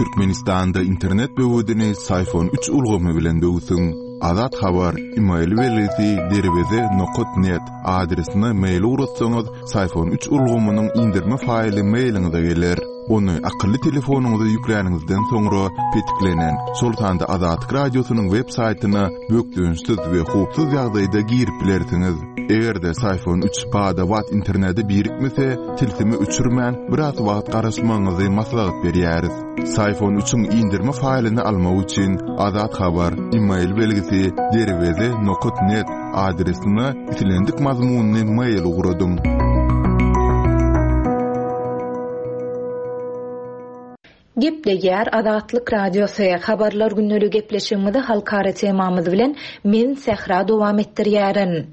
Türkmenistanda internet böwedini Syfon üç ulgamy bilen döwsüň. Azat Habar, email belgisi derweze nokat net adresine mail ugratsaňyz, Syfon üç ulgamynyň indirme faýly mailiňize geler. Ony akylly telefonyňyza ýükläniňizden soňra petiklenen, şol sanda Azatlyk Radiosynyň web saýtyna bökdençsiz we howpsuz ýagdaýda girip bilersiňiz. Eger-de Syfon üç bada-bat internete birikmese, tilsimi öçürmän, biraz wagt garaşmagyňyzy maslahat berýäris. Syfon üçiň indirme faýlyny almak üçin Azat Habar, email belgisi, derweze nokat net adresine islendik mazmunly mail ugradyň. Gepleýär Azatlyk Radiosy, Habarlar gündeligi gepleşigimizi halkara temamyz bilen men Sähra dowam etdirýärin.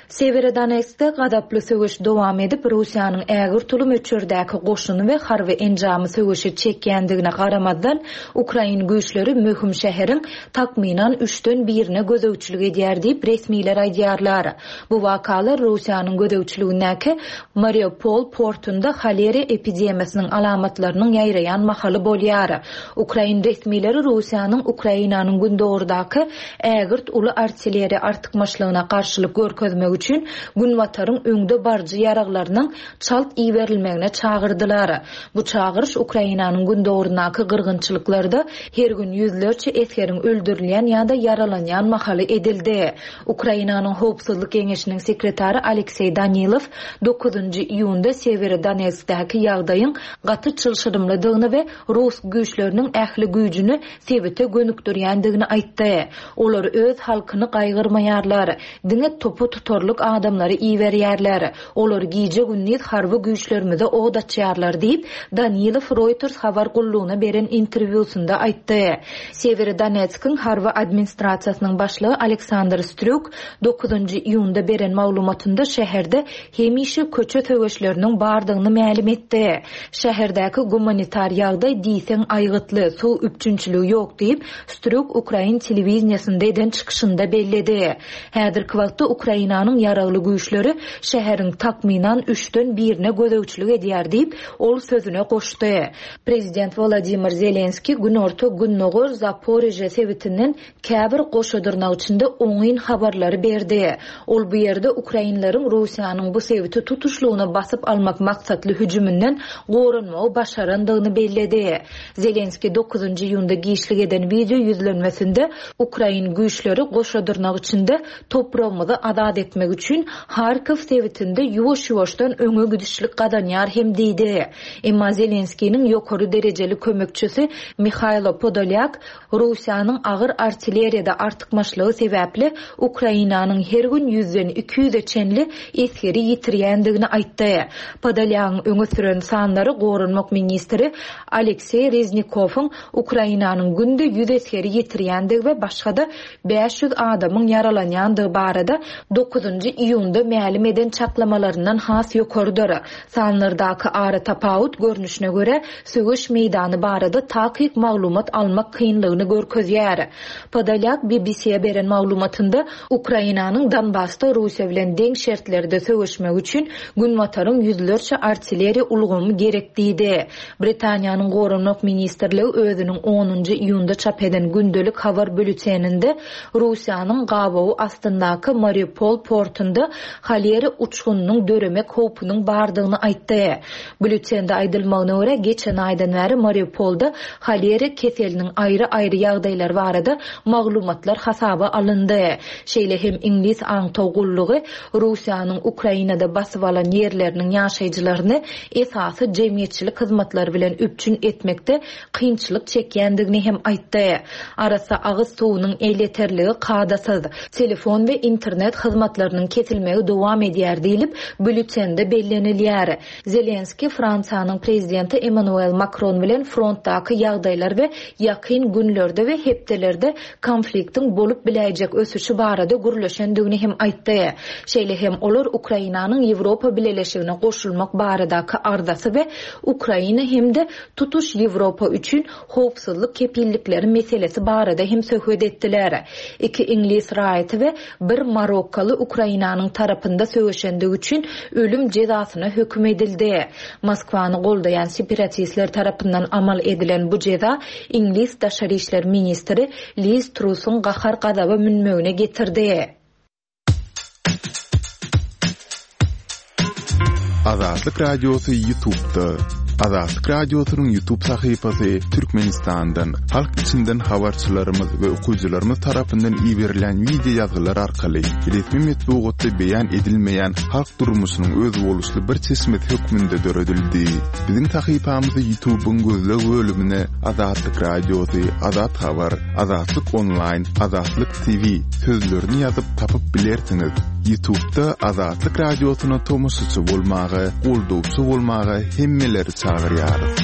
Sewerodonetskde gazaply söweş dowam edip, Russiýanyň ägirt uly möçberdäki goşuny we harby enjamy söweşe çekýändigine garamazdan, ukrain güýçleri möhüm şäheriň takmynan üçden birine gözegçilik edýär diýip, resmiler aýdýarlar. Bu wakalar Russiýanyň gözegçiligindäki Mariupol portunda holera epidemiýasynyň alamatlarynyň ýaýraýan mahaly bolýar. Ukrain resmileri Russiýanyň Ukrainanyň gündogardaky ägirt uly artilleriýa artykmaçlygyna garşylyk görkezmek üçin Günbataryň öňde baryjy ýaraglarynyň çalt iberilmegine çagyrdylar. Bu çagyryş Ukrainanyň gündogaryndaky gyrgynçylyklarda her gün ýüzlerçe esgeriň öldürilýän ýa-da ýaralanýan mahaly edildi. Ukrainanyň Howpsuzlyk geňeşiniň sekretary Alekseý Danilow dokuzynjy iýunda Sewerodonetskdäki ýagdaýyň gaty çylşyrymlydygyny we rus güýçleriniň ähli güýjüni sebite gönükdirýändigini aýtdy. Olar öz halkyny gaýgyrmaýarlar. Diňe topa tutarlyk adamlary iberýärler. Olar gije-gündiz harby güýçlerimize od açýarlar diýip, Danilow Reuters habar gullugyna beren interwýusynda aýtdy. Sewerodonetskiň harby administrasiýasynyň başlygy Aleksandr Strýuk dokuzynjy iýunda beren maglumatynda şäherde hemişe köçe söweşleriniň bardygyny mälim etdi. Şäherdäki gumanitar ýagdaý diýseň aýgytly, suw üpjünçiligi ýok diýip, Strýuk ukrain telewideniýesinde eden çykyşynda belledi. Häzirki wagtda Ukrainanyň ýaragly güýçleri şäheriň takmynan üçden birine gözegçilik edýär diýip, ol sözüne goşdy. Prezident Wolodymyr Zelenskiý günorta-gündogar Zaporižýa sebitinden käbir goşa dyrnak içinde oňyn habarlary berdi. Ol bu ýerde ukrainleriň Russiýanyň bu sebiti tutuşlygyna basyp almak maksatly hüjüminden goranmagy başarandygyny belledi. Zelenskiý dokuzynjy iýunda giçlik eden wideo ýüzlenmesinde ukrain güýçleri goşa dyrnak içinde topragymyzy azat etmek üçin Harkow sebitinde ýuwaş-ýuwaşdan öňe gidişlik gazanýar hem diýdi. Emma Zelenskiniň ýokary derejeli kömekçisi Mihaýlo Podolýak Russiýanyň agyr artilleriýada artykmaçlygy sebäpli Ukrainanyň her gün ýüzden 200-e çenli esgeri ýitirýändigini aýtdy. Podolýagyň öňe süren sanlary goranmak ministri Alekseý Reznikowyň Ukrainanyň günde ýüz esgeri ýitirýändigi we başga-da 500 adamyň ýaralanýandygy barada dokuzynjy iýunda mälim eden çaklamalaryndan has ýokarydyr. Sanlardaky aratapawut görnüşine görä, söweş meýdany barada takyk maglumat almak kynlygyny görkezýär. Podolýak BBC-e beren maglumatynda Ukrainanyň Donbasda Russiýa bilen deň şertlerde söweşmegi üçin Günbataryň ýüzlerçe artilleriýa ulgamy gerek diýdi. Britaniýanyň Goranmak ministrligi özüniň onunjy iýunda çap eden gündelik habar býulleteninde Russiýanyň gabawy astyndaky Mariupol portunda holera uçgunynyň döremek howpunyň bardygyny aýtdy. Býulletende aýdylmagyna görä, geçen aýdan bäri Mariupolda holera keseliniň aýry-aýry ýagdaýlary barada maglumatlar hasaba alyndy. Şeýle hem iňlis aňtaw gullugy Russiýanyň Ukrainada basyp alan ýerleriniň ýaşaýjylaryny esasy jemgyýetçilik hyzmatlary bilen üpjün etmekde kynçylyk çekýändigini hem aýtdy. Arassa agyz suwunyň elýeterligi kadasyz, telefon we internet hyzmatlarynyň kesilmegi dowam edýär diýlip, býulletende bellenilýär. Zelenskiý Fransiýanyň prezidenti Emmanuel Makron bilen frontdaky ýagdaýlar we ýakyn günlerde we hepdelerde konfliktiň bolup biläýjek ösüşi barada gürleşendigini hem aýtdy. Şeýle hem olar Ukrainanyň Ýewropa Bileleşigine goşulmak baradaky arzasy we Ukraina hem-de tutuş Ýewropa üçin howpsuzlyk kepillikleri meselesi barada hem söhbet etdiler. Iki iňlis raýaty we bir marokkaly. Ukrainanyň tarapynda söweşendigi üçin ölüm jezasyna höküm edildi. Moskwany goldaýan separatistler tarapyndan amal edilen bu jeza iňlis daşary işler ministri Liz Trusyň gahar-gazaba münmegine getirdi. Azatlyk Radiosy YouTube'da. Azatlyk Radiosynyň YouTube sahypasy Türkmenistandan, halk içinden habarçylarymyz we okyjylarymyz tarapyndan iberilen wideo ýazgylar arkaly resmi metbugatda beýan edilmeýän halk durmuşynyň özboluşly bir çeşmesi hökmünde döredildi. Biziň sahypamyzy YouTube'yň gözleg bölümine Azatlyk Radiosy, Azat Habar, Azatlyk Onlaýn, Azatlyk TV sözlerini ýazyp tapyp bilersiňiz. Ýutubda Azatlyk Radiosyna tomaşaçy bolmaga, goldawçy bolmaga hemmeleri çagyrýarys.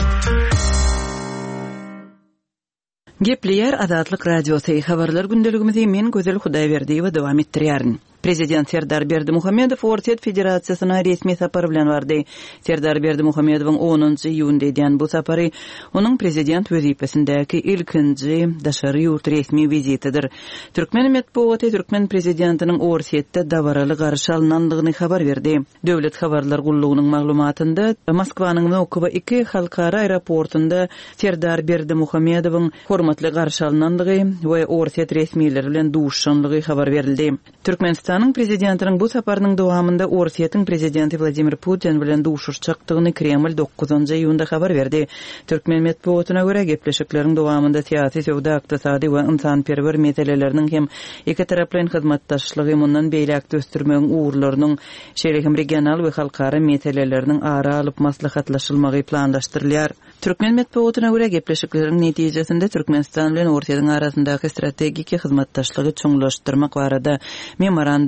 Gepleýär Azatlyk Radiosy, Habarlar gündeligimizi men Gözel Hudaýberdiýewa dowam etdirýärin. Prezident Serdar Berdimuhamedow Orsýet Federasiýasyna resmi sapar bilen bardy. Serdar Berdimuhamedowyň onunjy iýunda edýän bu sapary onuň prezident wezipesindäki ilkinji daşary ýurt resmi wizitidir. Türkmen metbugaty türkmen prezidentiniň Orsýetde dabaraly garşy alnandygyny habar berdi. Döwlet habarlar gullugynyň maglumatynda, Moskwanyň Wnukowo II halkara aeroportunda Serdar Berdimuhamedowyň hormatly garşy alnandygy we orsýet resmileri bilen duşuşandygy habar berildi. Türkmenistanyň Prezidentiniň bu saparynyň dowamynda Orsýetiň Prezidenti Wladimir Putin bilen duşuşjakdygyny Kreml dokuzynjy iýunda habar berdi. Türkmen metbugatyna görä, gepleşikleriň dowamynda syýasy, söwda-ykdysady we ynsanperwer meseleleriniň hem ikitaraplaýyn hyzmatdaşlygy mundan beýläk-de ösdürmegiň ugurlarynyň, şeýle hem regional we halkara meseleleriniň ara alyp maslahatlaşylmagy planlaşdyrylýar. Türkmen metbugatyna görä, gepleşikleriň netijesinde Türkmenistan bilen Orsýetiň arasyndaky strategiki hyzmatdaşlygy çuňlaşdyrmak barada memoranduma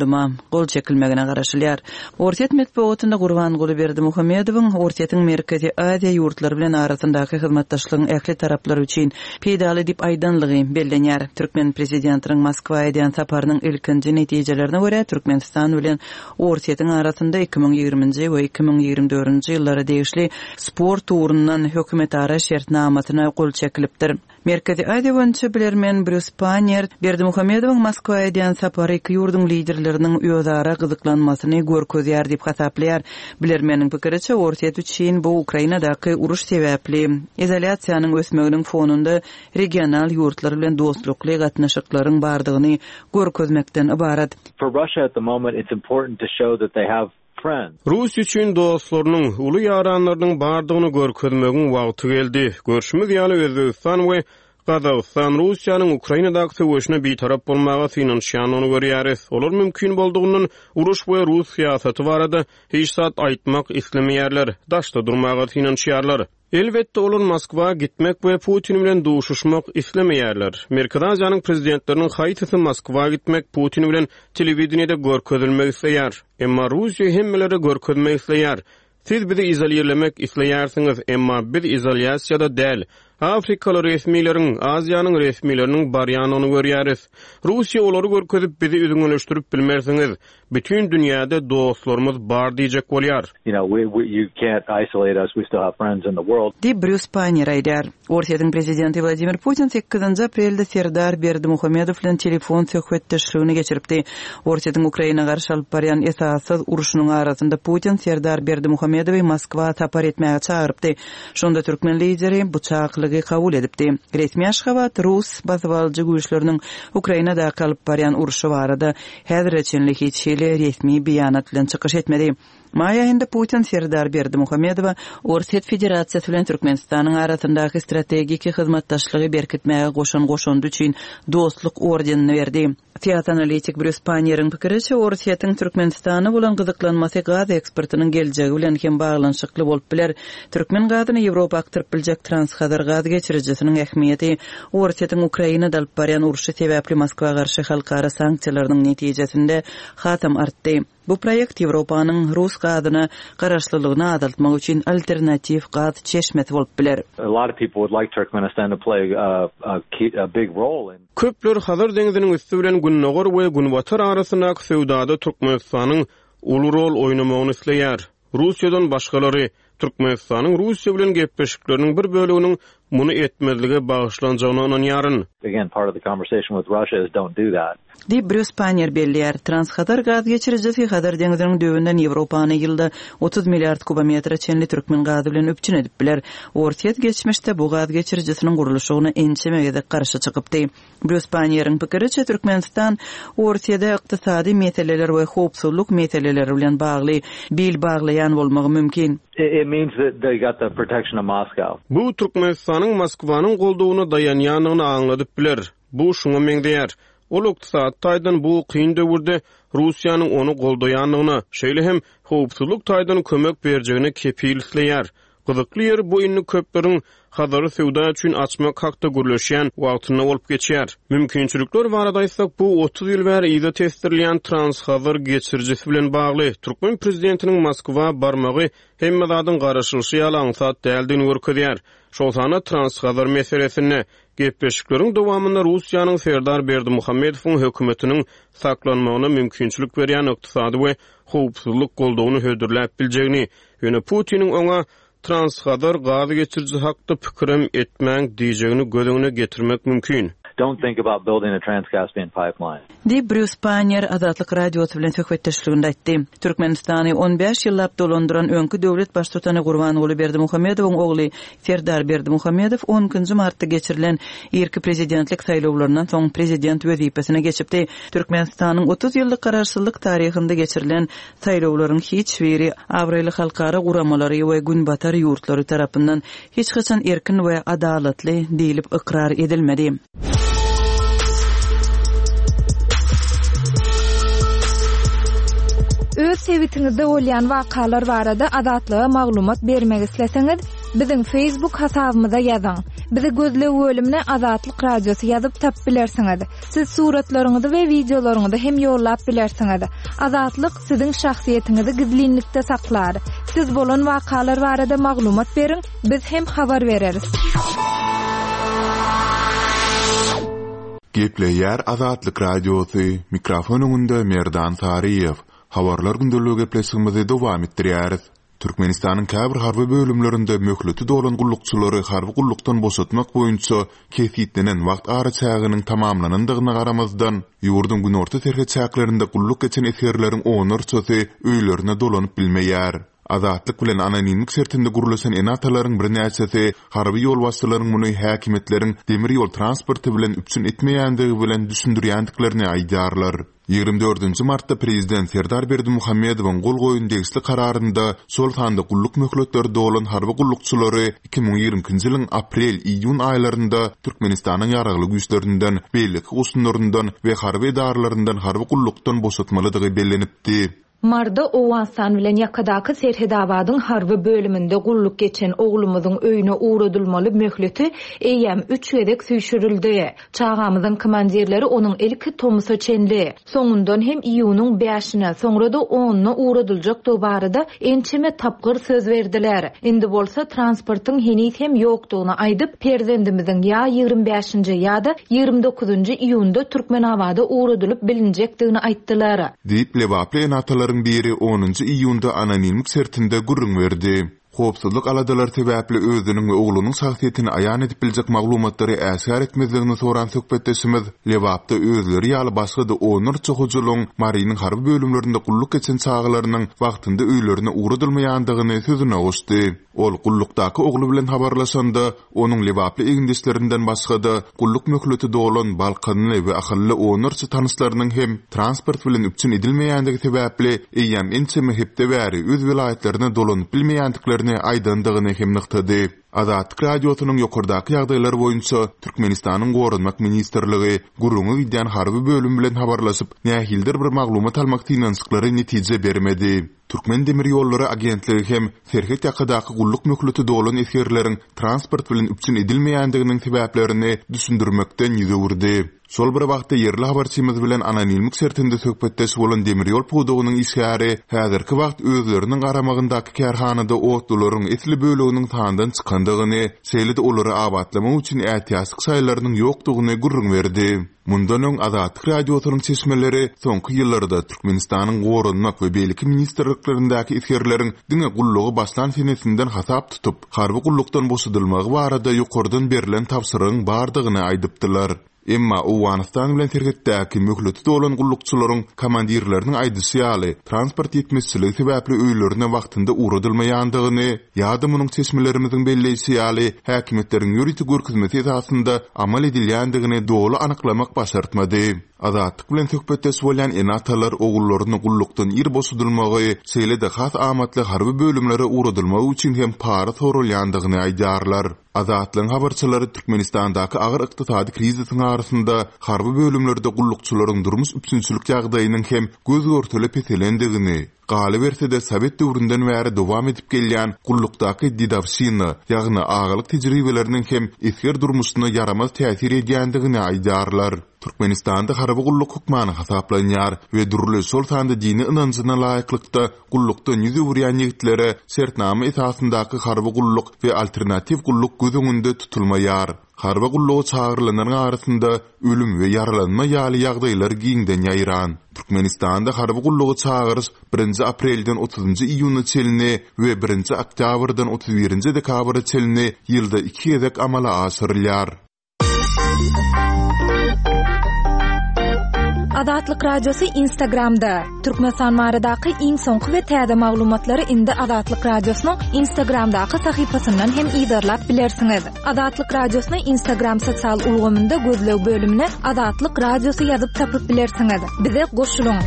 gol çekilmegine garaşylýar. Orsýet metbugatynda Gurbanguly Berdimuhamedowyň Orsýetiň Merkezi Aziýa ýurtlary bilen arasyndaky hyzmatdaşlygyň ähli taraplar üçin peýdaly diýip aýdanlygy bellenýär. Türkmen prezidentiniň Moskwa edýän saparynyň ilkinji netijelerine görä, Türkmenistan bilen Orsýetiň arasynda 2020-nji we 2024-nji ýyllara degişli sport ugrundan hökümetara şertnamasyna gol çekilipdir. Merkezi Aziýa boýunça bilermen Brýus Panniýer Berdimuhamedowyň Moskwa edýän sapary iki ýurduň liderleriniň özara gyzyklanmasyny görkezýär diýip hasaplaýar. Bilermeniň pikiriçe, Orsýet üçin bu Ukrainadaky uruş sebäpli izolýasiýanyň ösmeginiň fonunda regional ýurtlar bilen dostlukly gatnaşyklaryň bardygyny görkezmekden ybarat. For Russia at the moment it's important to show that they have friends. Russiýa üçin dostlarynyň, uly ýaranlarynyň bardygyny görkezmegiň wagty geldi. Görşümiz ýaly, Özbegistan we Gazagystan Russiýanyň Ukrainadaky söweşine bitarap bolmaga synanyşýandygyny görýäris. Olar mümkin boldugyndan uruş we rus syýasaty barada hiç zat aýtmak islemeýärler, daşda durmaga synanyşýarlar. Elbetde, olar Moskwa gitmek we Putin bilen duşuşmak islemeýärler. Merkezi Aziýanyň prezidentleriniň haýsysy Moskwa gitmek, Putin bilen telewideniýede görkezilmek isleýär? Emma Russiýa hemmelere görkezmek isleýär. Siz bizi izolirlemek isleýärsiňiz, emma biz izolýasiýada däl. Afrikaly resmileriň, Aziýanyň resmileriniň barýanyny görýäris. Russiýa olary görkezip bizi üzňeleşdirip bilmersiňiz. Bütin dünýäde dostlarymyz bar diýjek bolýar. Diýip, Brýus Paýner aýdýar. Orsýetiň prezidenti Wladimir Putin sekizinji aprelde Serdar Berdimuhamedow bilen telefon söhbetdeşligini geçiripdi. Orsýetiň Ukraina garşy alyp barýan esassyz urşunyň arasynda Putin Serdar Berdimuhamedowy Moskwa sapar etmäge çagyrypdy. Şonda türkmen lideri bu çakylygy kabul edipdi. Resmi Aşgabat rus basybalyjy güýçleriniň Ukrainadaky alyp barýan urşy barada häzire çenli hiç hili resmi beýanat bilen çykyş etmedi. Maý aýynda Putin Serdar Berdimuhamedowa Orsýet Federasiýasy bilen Türkmenistanyň arasyndaky strategiki hyzmatdaşlygy berkitmäge goşan goşandy üçin Dostluk ordenini berdi. Syýasy analitik Brýus Panniýeriň pikiriçe, Orsýetiň Türkmenistana bolan gyzyklanmasy gaz eksportynyň geljegi bilen hem baglanyşykly bolup biler. Türkmen gazyny Ýewropa akdyryp biljek Transhazar gaz geçirijisiniň ähmiýeti Orsýetiň Ukrainada alyp barýan urşy sebäpli Moskwa garşy halkara sanksiýalarynyň netijesinde hasam artdy. Bu proýekt Ýewropanyň rus gazyna garaşlylygyny azaltmak üçin alternatiw gaz çeşmesi bolup biler. Köpler Hazar deňziniň üsti bilen Gündogar we Günbatar arasyndaky söwdada Türkmenistanyň uly rol oýnamagyny isleýär. Russiýadan başgalary, Türkmenistanyň Russiýa bilen gepleşikleriniň bir böleginiň muny etmezlige bagyşlanjagyna ynanýaryn. Again, part of the conversation with Russia is don't do that. Diýip, Brýus Pannier belleýär. Transhazar gaz geçirijisi Hazar deňziniň düýbünden Ýewropany ýylda 30 milliard kubometre çenli türkmen gazy bilen üpjün edip biler. Orsýet geçmişde bu gaz geçirijisiniň gurluşygyna ençeme gezek garşy çykypdy. Brýus Pannieriň pikiriçe, Türkmenistan Orsýede ykdysady meseleler we howpsuzlyk meseleleri bilen bagly bil baglaýan bolmagy mümkin. It means that they got the protection of Moscow. Bu Türkmenistanyň Moskwanyň goldawyna daýanýandygyny aňladyp biler. Bu şuňa meňzeýär, ol ykdysady taýdan bu kyn döwürde Russiýanyň ony goldaýandygyna, şeýle hem howpsuzlyk taýdan kömek berjegine kepil isleýär. Gyzykly ýeri bu indi köpleriň Hazary söwda üçin açmak hakda gürleşýän wagtynda bolup geçýär. Mümkinçilikler barada aýtsak, bu 30 ýyl bäri yza tesdirilýän Transhazar geçirijisi bilen bagly. Türkmen prezidentiniň Moskwa barmagy hemme zadyň garaşylyşy ýaly aňsat däldigini görkezýär. Şol sanda Transhazar meselesinde. Gepleşikleriň dowamynda Russiýanyň Serdar Berdimuhamedowyň hökümetiniň saklanmagyna mümkinçilik berýän ykdysady we howpsuzlyk goldawyny hödürläp biljegini, ýöne Putiniň oňa Transhazar gaz geçiriji hakda pikirem etmäň diýjegini göz öňüne getirmek mümkin. Don't think about building a Trans-Caspian pipeline. Diýip, Brýus Pannier Azatlyk Radiosy bilen söhbetdeşliginde aýtdy. Türkmenistany on bäş ýyllap dolandyran öňki döwlet baştutany Gurbanguly Berdimuhamedowyň ogly Serdar Berdimuhamedow on ikinji martda geçirilen irki prezidentlik saýlawlaryndan soň prezident wezipesine geçipdi. Türkmenistanyň 30 ýyllyk garaşsyzlyk taryhynda geçirilen saýlawlaryň hiç biri abraýly halkara guramalary we günbatar ýurtlary tarapyndan hiç haçan erkin we adalatly diýlip ykrar edilmedi. Öz sebitiňizde bolýan wakalar barada Azatlyga maglumat bermek isleseňiz, biziň Facebook hasabymyza ýazyň. Bizi gözleg bölümine Azatlyk Radiosy ýazyp tapyp bilersiňiz. Siz suratlaryňyzy we wideolaryňyzy hem ýollap bilersiňiz. Azatlyk siziň şahsyýetiňizi gizlinlikde saklar. Siz bolan wakalar barada maglumat beriň, biz hem habar bereris. Gepleýär Azatlyk Radiosy, mikrofon öňünde Merdan Saryýew. Habarlar gündeligi gepleşigimizi dowam etdirýäris. Türkmenistanyň käbir harby bölümlerinde möhleti dolan gullukçylary harby gullukdan boşatmak boýunça kesgitlenen wagt araçäginiň tamamlanandygyna garamazdan, ýurduň günorta serhet çäklerinde gulluk geçen esgerleriň onlarçasy öýlerine dolanyp bilmeýär. Azatlyk bilen anonimlik şertinde gürleşen ene-atalaryň birnäçesi harby ýolbaşçylaryň muny häkimiýetleriň demir ýol transporty bilen üpjün etmeýändigi bilen düşündirýändiklerini aýdýarlar. 24 martda prezident Serdar Berdimuhamedowyň gol goýan degişli kararynda, şol sanda gulluk möhletleri dolan harby gullukçylary 2022-nji ýylyň aprel-iýun aýlarynda Türkmenistanyň Ýaragly Güýçlerinden, beýleki goşunlaryndan we harby edaralaryndan harby gullukdan boşatmalydygy bellenipdi. Marda Owganystan bilen ýakadaky Serhedabadyň harby bölüminde gulluk geçen oglumyzyň öýüne ugradylmaly möhleti eýýäm üç gezek süýşürildi. Çagamyzyň komandirleri onuň ilki tomusa çenli, soňundan hem iýunyň bäşine, soňra-da onuna ugradyljakdygy barada ençeme tapgyr söz berdiler. Indi bolsa transportyň heniz hem ýokdugyny aýdyp, perzendimiziň ýa 25-nji, ýa-da 29-njy iýunda Türkmenabada ugradylyp bilinjekdigini aýtdylar. Diýip, lebaply ene-atalaryň biri onunjy iýunda anonimlik şertinde gürrüň berdi. Howpsuzlyk aladalary sebäpli özüniň we oglunyň şahsyýetini aýan edip biljek maglumatlary äşgär etmezligini soran söhbetdeşimiz Lebapda özleri ýaly başga-da onlarça hojalygyň Marynyň harby bölümlerinde gulluk geçen çagalarynyň wagtynda öýlerine ugradylmaýandygyny sözüne goşdy. Ol gullukdaky ogly bilen habarlaşanda, onuň lebaply egindeşlerinden başga-da, gulluk möhleti dolan balkanly we ahally onlarça tanyşlarynyň hem transport bilen üpjün edilmeýändigi sebäpli, eýýäm ençeme hepde bäri öz welaýatlaryna dolanyp bilmeýändiklerini aýdandygyny hem nygtady. Azatlyk Radiosynyň ýokardaky ýagdaýlar boýunça Türkmenistanyň Goranmak ministrligi, gürrüňi gidýän harby bölüm bilen habarlaşyp, nähilidir bir maglumat almak synanyşyklary netije bermedi. Türkmendemirýollary agentligi hem serhet ýakadaky gulluk möhleti dolan esgerleriň transport bilen üpjün edilmeýändiginiň sebäplerini düşündirmekden ýüz öwürdi. Şol bir wagtda ýerli habarçymyz bilen anonimlik şertinde söhbetdeş bolan demir ýol pudagynyň işgäri häzirki wagt özleriniň garamagyndaky kärhanada otlularyň esli böleginiň sandan çykandygyny, şeýle-de olary abatlamak üçin ätiýaçlyk şaýlarynyň ýokdugyny gürrüň berdi. Mundan öň Azatlyk Radiosynyň çeşmeleri soňky ýyllarda Türkmenistanyň Goranmak we beýleki ministrliklerindäki esgerleriň diňe gullugy başlan senesinden hasap tutup, harby gullukdan boşadylmagy barada ýokardan berlen tabşyrygyň bardygyny aýdypdylar. Emma Owganystan bilen serhetdäki möhleti dolan gullukçylaryň komandirleriniň aýdyşy ýaly, transport ýetmezçiligi sebäpli öýlerine wagtynda ugradylmaýandygyny ýa-da munuň çeşmelerimiziň belleýşi ýaly, häkimiýetleriň ýörite görkezmesi esasynda amal edilýändigini doly anyklamak başartmady. Azatlyk bilen söhbetdeş bolýan ene-atalar ogullaryny gullukdan ir boşadylmagy, şeýle-de has amatly harby bölümlere ugradylmagy üçin hem para soralýandygyny aýdýarlar. Azatlygyň habarçylary Türkmenistandaky agyr ykdysady krizisiň arasynda harby bölümlerde gullukçylaryň durmuş üpjünçilik ýagdaýynyň hem göz-görtele peselendigini, Galyberse-de, sowet döwründen bäri dowam edip gelýän gullukdaky dedowşina, ýagny agalyk tejribeleriniň hem esger durmuşyna ýaramaz täsir edýändigini aýdýarlar. Türkmenistanda harby gulluk hökmany hasaplanýar we dürli, şol sanda dini ynanjyna laýyklykda gullukdan ýüz öwürýän ýigitlere şertnama esasyndaky harby gulluk we alternatiw gulluk göz öňünde tutulmaýar. Harby gulluga çagyrylanlaryň arasynda ölüm we ýaralanma ýaly ýagdaýlar giňden ýaýran. Türkmenistanda harby gulluga çagyryş birinji aprelden otuzynjy iýuna çenli we birinji oktýabrdan 31 nji dekabra çenli ýylda iki gezek amala aşyrylýar. Azatlyk Radiosy Instagramda, Türkmenistan baradaky iň soňky we täze maglumatlary indi Azatlyk Radiosynyň Instagramdaky sahypasyndan hem yzarlap bilersiňiz. Azatlyk Radiosyny Instagram sosial ulgamynda gözleg bölümine Azatlyk Radiosy ýazyp tapyp bilersiňiz. Bize goşulyň!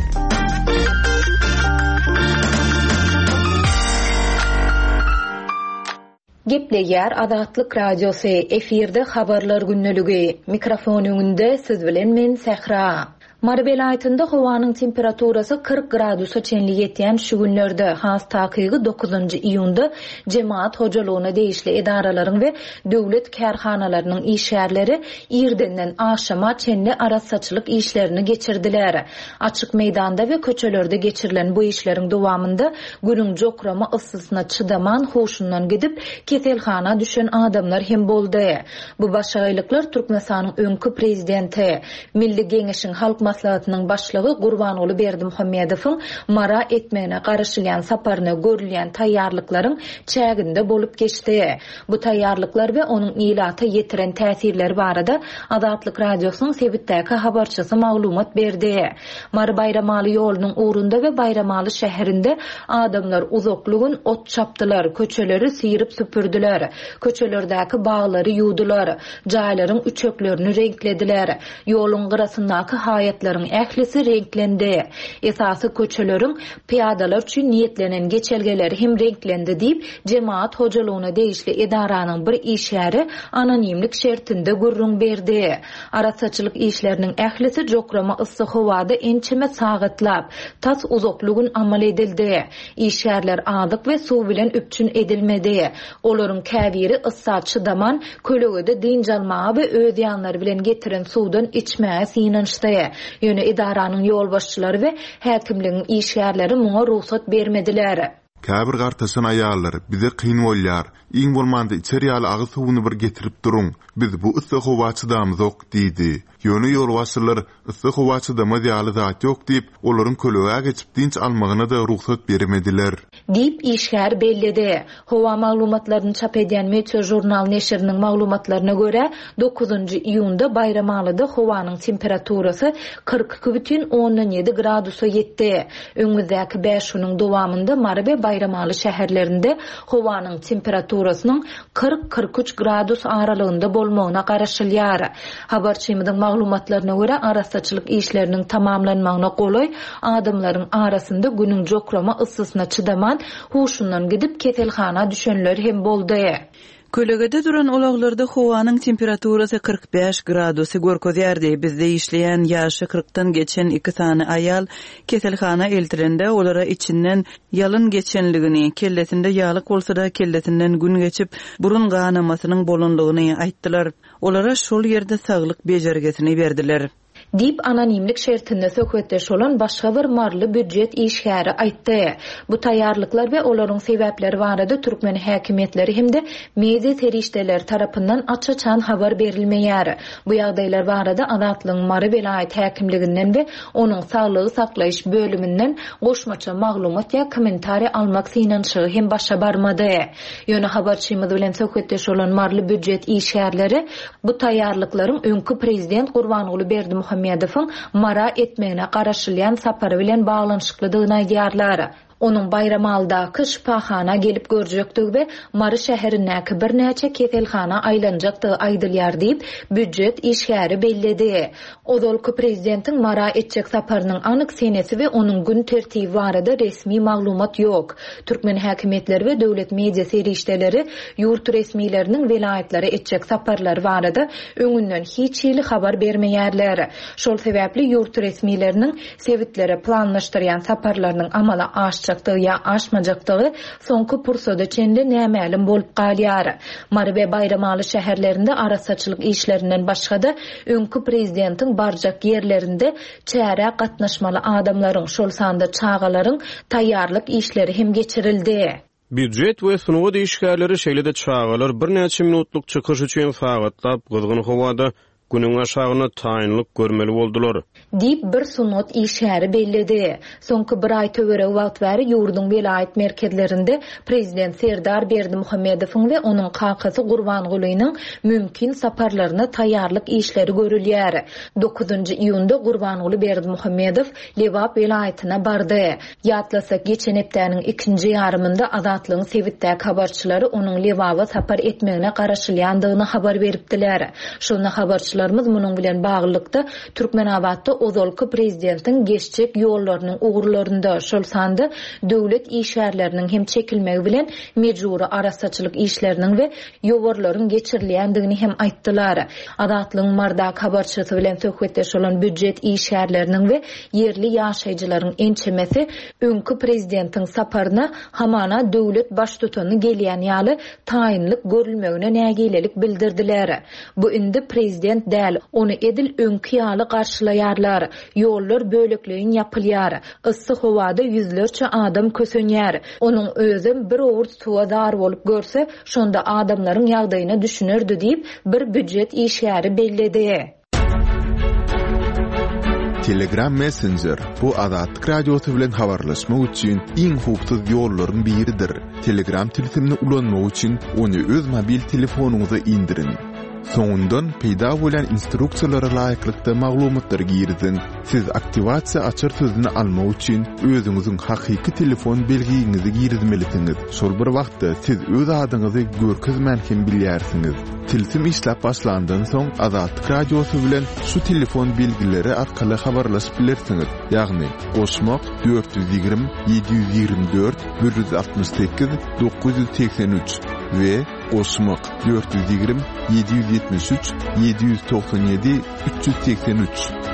Gepleýär Azatlyk Radiosy, efirde Habarlar gündeligi. Mikrofon öňünde siz bilen men Sähra. Mary welaýatynda howanyň temperaturasy 40 gradusa çenli ýetýän şu günlerde, has takygy dokuzynjy iýunda jemagat hojalygyna degişli edaralaryň we döwlet kärhanalarynyň işgärleri irdenden agşama çenli arassaçylyk işlerini geçirdiler. Açyk meýdanda we köçelerde geçirilen bu işleriň dowamynda Günüň jokrama yssysyna çydaman huşundan gidip, keselhana düşen adamlar hem boldy. Bu başagaýlyklar Türkmenistanyň öňki prezidenti, Milli Geňeşiň Halk Maslahatynyň Başlygy Gurbanguly Berdimuhamedowyň Mara etmegine garaşylýan saparyna görülýän taýýarlyklaryň çäginde bolup geçdi. Bu taýýarlyklar we onuň ilata ýetiren täsirleri barada Azatlyk Radiosynyň sebitdäki habarçysy maglumat berdi. Mary-Baýramaly ýolunyň ugrunda we Baýramaly şäherinde adamlar uzakly gün ot çapdylar, köçeleri syryp-süpürdiler, köçelerdäki baglary ýuwdular, jaýlaryň üçeklerini reňklediler. Ýoluň gyrasyndaky haýatlaryň ählisi reňklendi. Esasy köçeleriň pyýadalar üçin niýetlenen geçelgeleri hem reňklendi diýip, jemagat hojalygyna degişli edaranyň bir işgäri anonimlik şertinde gürrüň berdi. Arassaçylyk işleriniň ählisi jokrama yssy howada ençeme sagatlap, tas uzakly gün amal edildi. Işgärler azyk we suw bilen üpjün edilmedi. Olaryň käbiri yssa çydaman, kölegede dynç almaga we öz ýanlary bilen getiren suwdan içmäge synanyşdy. Ýöne edaranyň ýolbaşçylary we häkimligiň işgärleri muňa rugsat bermediler. Käbir gartaşan aýallar, Bize kyn bolýar, iň bolmanda içer ýaly agyz suwuny bir getirip duruň, biz bu yssy howa çydamyzok diýdi. Ýöne ýolbaşçylar, Yssy howa çydamaz ýaly zat ýok diýip, olaryň kölegä geçip dynç almagyna-da rugsat bermediler. Diýip, işgär belledi. Howa maglumatlaryny çap edýän Meteožurnal neşiriniň maglumatlaryna görä, dokuzynjy iýunda Baýramalyda howanyň temperaturasy 42,7 gradusa ýetdi. Öňümizdäki bäş günüň dowamynda Mary we Baýramaly şäherlerinde howanyň temperaturasynyň 40, 43 gradus aralygynda bolmagyna garaşylýar. Habarçymyzyň maglumatlaryna görä, arassaçylyk işleriniň tamamlanmagyna golaý adamlaryň arasynda günüň jokrama yssysyna çydaman, huşundan gidip, keselhana düşenler hem boldy. Kölegede duran ulaglarda howanyň temperaturasy 45 gradusy görkezýärdi. Bizde işleýän ýaşy kyrkdan geçen iki sany aýal keselhana eltilende, olara içinden ýalyn geçenligini, kellesinde ýalyk bolsa-da, kellesinden gün geçip, burun ganamasynyň bolanlygyny aýtdylar. Olara şol ýerde saglyk bejergisini berdiler. Diýip, anonimlik şertinde söhbetdeş bolan başga bir maryly býujet işgäri aýtdy. Bu taýýarlyklar we olaryň sebäpleri barada türkmen häkimiýetleri hem-de media serişdeleri tarapyndan aç-açan habar berilmeýär. Bu ýagdaýlar barada Azatlygyň Mary welaýat häkimliginden we onuň saglygy saklaýyş bölüminden goşmaça maglumat ýa kommentariý almak synanyşygy hem başa barmady. Ýöne habarçymyz bilen söhbetdeş bolan maryly býujet işgärleri bu taýýarlyklaryň öňki prezident Gurbanguly Berdimuhamedowyň Mara etmegine garaşylýan sapary bilen baglanyşyklydygyny aýdýarlar. Onuň Baýramalydaky şypahana gelip görjekdigi we Mary şäherindäki birnäçe keselhana aýlanjakdygy aýdylýar diýip, býujet işgäri belledi. Ozalky prezidentiň Mara etjek saparynyň anyk senesi we onuň gün tertibi barada resmi maglumat ýok. Türkmen häkimiýetleri we döwlet media serişdeleri ýurt resmileriniň welaýatlara etjek saparlary barada öňünden hiç hili habar bermeýärler. Şol sebäpli ýurt resmileriniň sebitlere planlaşdyrýan saparlarynyň amala aşjakdygy ýa aşmajakdygy soňky pursada çenli nämälim bolup galýar. Mary we Baýramaly şäherlerinde arassaçylyk işlerinden başga-da, öňki prezidentiň barjak ýerlerinde çärä gatnaşmaly adamlaryň, şol sanda çagalaryň taýýarlyk işleri hem geçirildi. Býujet we sungat işgärleri, şeýle-de çagalar birnäçe minutlyk çykyş üçin sagatlap gyzgyn howada Günüň aşagynda taýynlyk görmeli boldular. Diýip, bir sungat işgäri belledi. Soňky bir aý töweregi wagt bäri ýurduň welaýat merkezlerinde prezident Serdar Berdimuhamedowyň we onuň kakasy Gurbangulynyň mümkin saparlaryna taýýarlyk işleri görülýär. Dokuzynjy iýunda Gurbanguly Berdimuhamedow Lebap welaýatyna bardy. Ýatlasak, geçen hepdäniň ikinji ýarymynda Azatlygyň sebitdäki habarçylary onuň Lebaba sapar etmegine garaşylýandygyny habar beripdiler. Şonda habarçylarymyz munuň bilen baglylykda, Türkmenabatda ozalky prezidentiň geçjek ýollarynyň ugurlarynda, şol sanda döwlet işgärleriniň hem çekilmegi bilen mejbury arassaçylyk işleriniň we ýowarlaryň geçirilýändigini hem aýtdylar. Azatlygyň Mardaky habarçysy bilen söhbetdeş bolan býujet işgärleriniň we ýerli ýaşaýjylaryň ençemesi öňki prezidentiň saparyna hamana döwlet baştutany gelýän ýaly taýynlyk görülmegine nägilelik bildirdiler. Bu indi prezident däl, ony edil öňki ýaly garşylaýarlar. Ýollar bölekleýin ýapylýar. Yssy howada ýüzlerçe adam kösenýär. Onuň özem bir owurt suwa zar bolup görse, şonda adamlaryň ýagdaýyna düşünerdi diýip, bir býujet işgäri belledi. Telegram Messenger, bu Azatlyk Radiosy bilen habarlaşmak üçin iň howpsuz ýollaryň biridir. Telegram tilsimini ulanmak üçin ony öz mobil telefonyňyza indiriň. Soňundan peýda bolýan instruksiýalara laýyklykda maglumatlary giriziň. Siz aktiwasiýa açar sözüni almak üçin özüňiziň hakyky telefon belgiňizi girizmelisiňiz. Şol bir wagtda siz öz adyňyzy görkezmän hem bilýärsiňiz. Tilsim işläp başlandan soň Azatlyk Radiosy bilen şu telefon belgileri arkaly habarlaşyp bilersiňiz, ýagny, goşmak, 420 724 168 983 we goşmak, 420 773 797 383.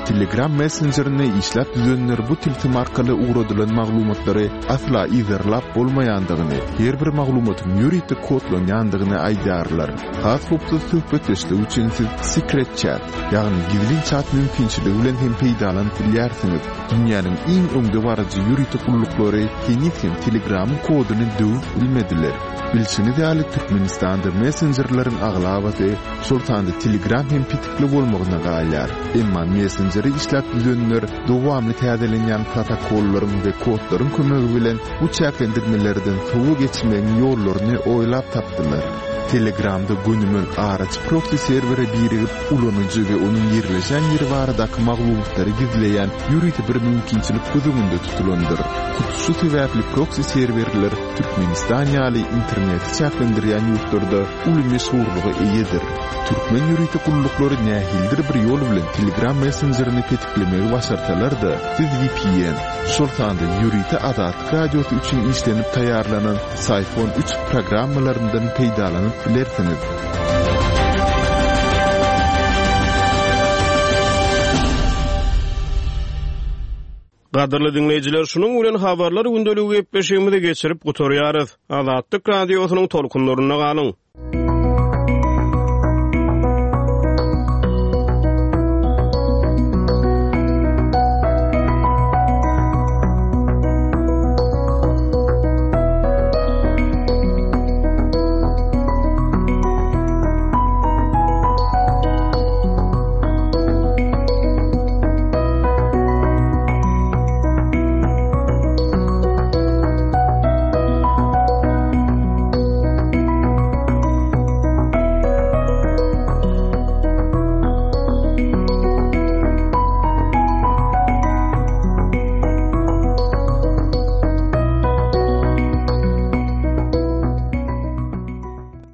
Telegram messenjerini işläp düzenler bu tilsim arkaly ugradylan maglumatlary asla yzarlap bolmaýandygyny, her bir maglumatyň ýörite kodlanýandygyny aýdýarlar. Has howpsuz söhbetdeşlik üçin siz Secret Chat, ýagny gizlin çat mümkinçiligi bilen hem peýdalanyp bilýärsiňiz. Dünýäniň iň öňdebaryjy ýörite gulluklary heniz hem Telegramyň koduny döwüp bilmediler. Bilşiňiz ýaly, Türkmenistanda messenjerleriň aglabasy, şol sanda Telegram hem petikli bolmagyna galýar. Emma messenjeri işläp düzenler dowamly täzelenýän protokollaryň we kodlaryň kömegi bilen bu çäklendirmelerden sowa geçmegiň ýollaryny oýlap tapdylar. Telegramda gönümel araçy proksi serwere birigip, ulanyjy we onuň ýerleşen ýeri baradaky maglumatlary gizleýän ýörite bir mümkinçilik göz öňünde tutulandyr. Hut şu sebäpli proksi serwerler Türkmenistan ýaly interneti çäklendirýän ýurtlarda uly meşhurlyga eýedir. Türkmen ýörite gulluklary nähilidir bir ýol bilen Telegram messenjerini petiklemegi başarsalar-da, siz vpn, şol sanda ýörite Azatlyk Radiosy üçin işlenip taýýarlanan Syphon üç programmalaryndan peýdalanyp bilersiňiz. Gadyrly diňleýjiler, şunuň bilen Habarlar gündeligi gepleşigimizi geçirip gutarýarys. Azatlyk Radiosynyň tolkunlarynda galyň!